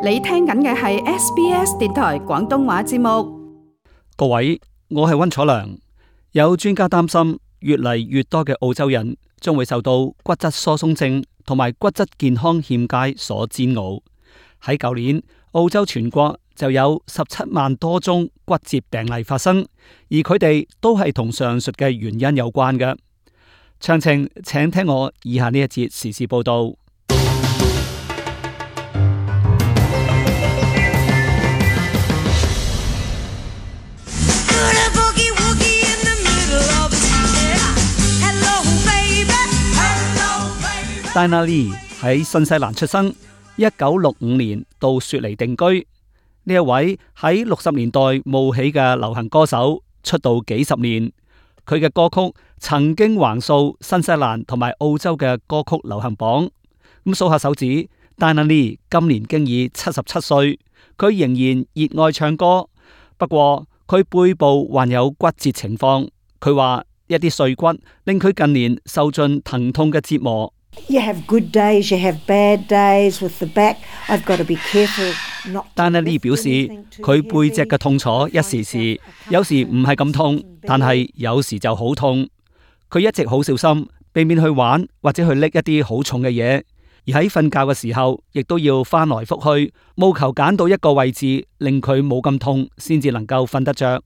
你聽緊嘅係 SBS 電台廣東話節目。各位，我係溫楚良。有專家擔心，越嚟越多嘅澳洲人將會受到骨質疏鬆症同埋骨質健康欠佳所煎熬。喺舊年，澳洲全國就有17萬多宗骨折病例發生，而佢哋都係同上述嘅原因有關嘅。詳情請聽我以下呢一節時事報道。Diana Lee 喺新西蘭出生，1965年到雪梨定居。呢一位喺60年代冒起嘅流行歌手，出道幾十年。佢嘅歌曲曾經橫掃新西蘭同埋澳洲嘅歌曲流行榜。咁數下手指，Diana Lee 今年經已77歲，佢仍然熱愛唱歌。不過佢背部患有骨折情況，佢話一啲碎骨令佢近年受盡疼痛嘅折磨。You have good days, you have bad days with the back. I've got to be careful not. Diana Lee 表示，佢背脊嘅痛楚一時時，有時唔係咁痛，但係有時就好痛。佢一直好小心，避免去玩或者去拎一啲好重嘅嘢，而喺瞓覺嘅時候，亦都要翻來覆去，務求揀到一個位置令佢冇咁痛，先至能夠瞓得着。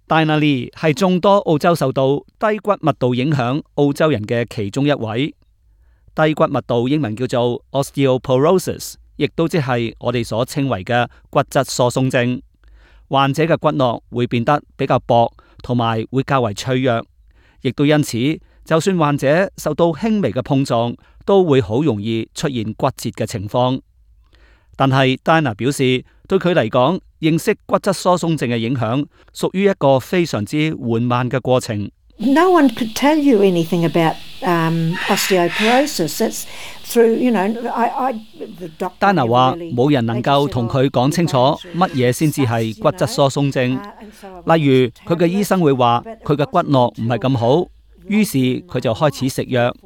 Diana Lee 係眾多澳洲受到低骨密度影響澳洲人嘅其中一位。低骨密度英文叫做 osteoporosis， 亦都即係我哋所稱為嘅骨質疏鬆症。患者嘅骨骼會變得比較薄，同埋會較為脆弱，亦都因此，就算患者受到輕微嘅碰撞，都會好容易出現骨折嘅情況。但係 Diana 表示，對佢嚟講，認識骨質疏鬆症嘅影響，屬於一個非常之緩慢嘅過程。No one could tell you anything about osteoporosis. That's through, the doctor. Diana 話冇人能夠同佢講清楚乜嘢先至係骨質疏鬆症。例如佢嘅醫生會話佢嘅骨骼唔係咁好，於是佢就開始食藥。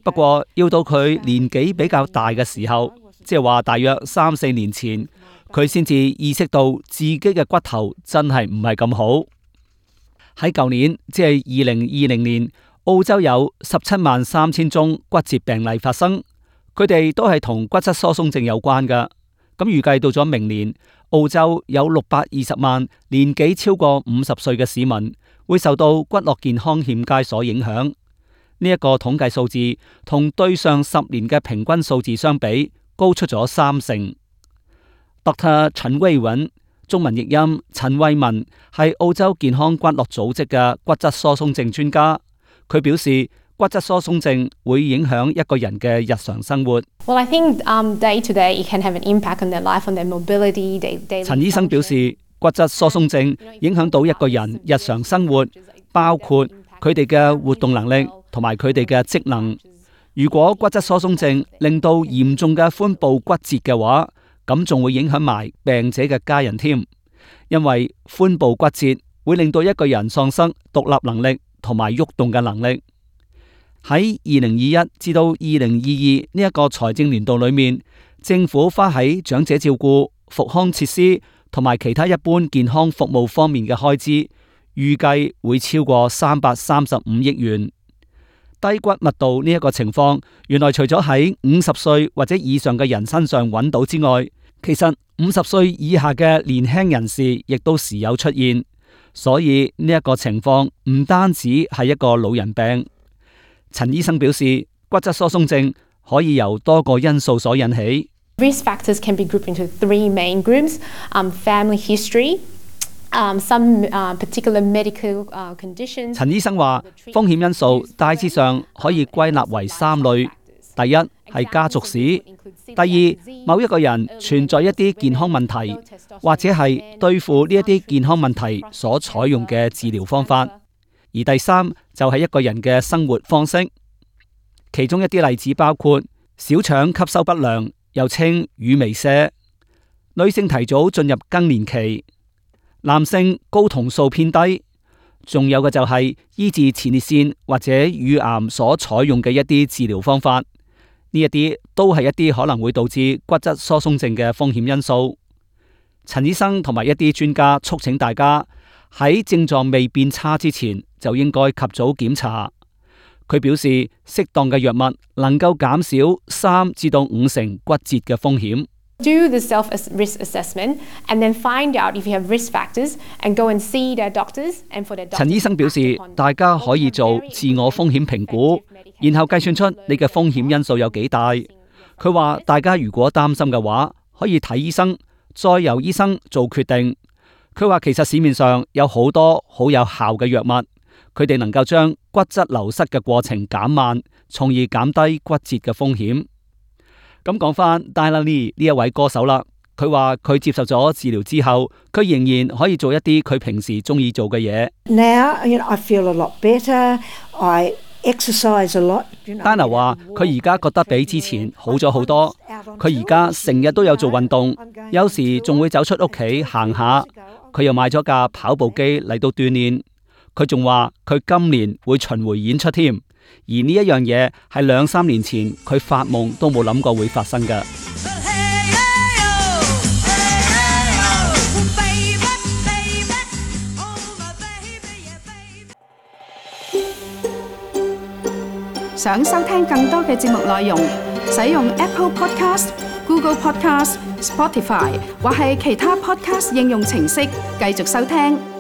不過要到佢年紀比較大嘅時候，即係話大約3-4年前，佢先至意識到自己嘅骨頭真係唔係咁好。喺舊年，即係2020年，澳洲有173000宗骨折病例發生，佢哋都係同骨質疏鬆症有關㗎。咁預計到咗明年，澳洲有620萬年紀超過50歲嘅市民會受到骨骼健康欠佳所影響。呢一個統計數字同對上10年嘅平均數字相比，高出咗30%。Dr. 陳威允，中文譯音陳慧文，係澳洲健康骨骼組織嘅骨質疏鬆症專家。佢表示，骨質疏鬆症會影響一個人嘅日常生活。Well, I think day to day it can have an impact on their life, on their mobility. 陳醫生表示，骨質疏鬆症影響到一個人日常生活，包括佢哋嘅活動能力同埋佢哋嘅職能。如果骨質疏鬆症令到嚴重嘅髖部骨折嘅話，咁仲會影響埋病者嘅家人添，因為髖部骨折會令到一個人喪失獨立能力同埋喐動嘅能力。喺2021至到2022呢一個財政年度裏面，政府花喺長者照顧、復康設施同埋其他一般健康服務方面嘅開支，預計會超過335億元。低骨密度呢一個情況，原來除咗喺50歲或者以上嘅人身上揾到之外，其實50歲以下嘅年輕人士亦都時有出現。所以呢一個情況唔單止係一個老人病。陳醫生表示，骨質疏鬆症可以由多個因素所引起。Risk factors can be grouped into 3 main groups: family history, some particular medical conditions. 陳醫生話，風險因素大致上可以歸納為3類。第一係家族史，第二某一個人存在一啲健康問題，或者係對付呢一啲健康問題所採用嘅治療方法，而第三就係一個人嘅生活方式。其中一啲例子包括小腸吸收不良，又稱乳糜瀉；女性提早進入更年期；男性睾酮素偏低。仲有嘅就係醫治前列腺或者乳癌所採用嘅一啲治療方法。呢呢一啲都係一啲可能會導致骨質疏鬆症嘅風險因素。陳醫生同埋一啲專家促請大家喺症狀未變差之前就應該及早檢查。佢表示，適當嘅藥物能夠減少3至到5成骨折嘅風險。Do the self-risk assessment and then find out if you have risk factors and go and see their doctors and for their doctors. 陳醫生表示，大家可以做自我風險評估，然後計算出你嘅風險因素有幾大。佢話大家如果擔心嘅話，可以睇醫生，再由醫生做決定。佢話其實市面上有好多好有效嘅藥物，佢哋能夠將骨質流失嘅過程減慢，從而減低骨折嘅風險。咁講翻 Diana Lee 呢一位歌手啦，佢話佢接受咗治療之後，佢仍然可以做一啲佢平時中意做嘅嘢。Now, I feel a lot better. I exercise a lot. Diana 話佢而家覺得比之前好咗好多，佢而家成日都有做運動，有時仲會走出屋企行下。佢又買咗架跑步機嚟到鍛煉。佢仲話佢今年會巡迴演出添。而呢一樣嘢係2-3年前佢發夢都冇諗過會發生嘅。想收聽更多嘅節目內容，使用 Apple Podcast、Google Podcast、Spotify 或係其他 Podcast 應用程式繼續收聽。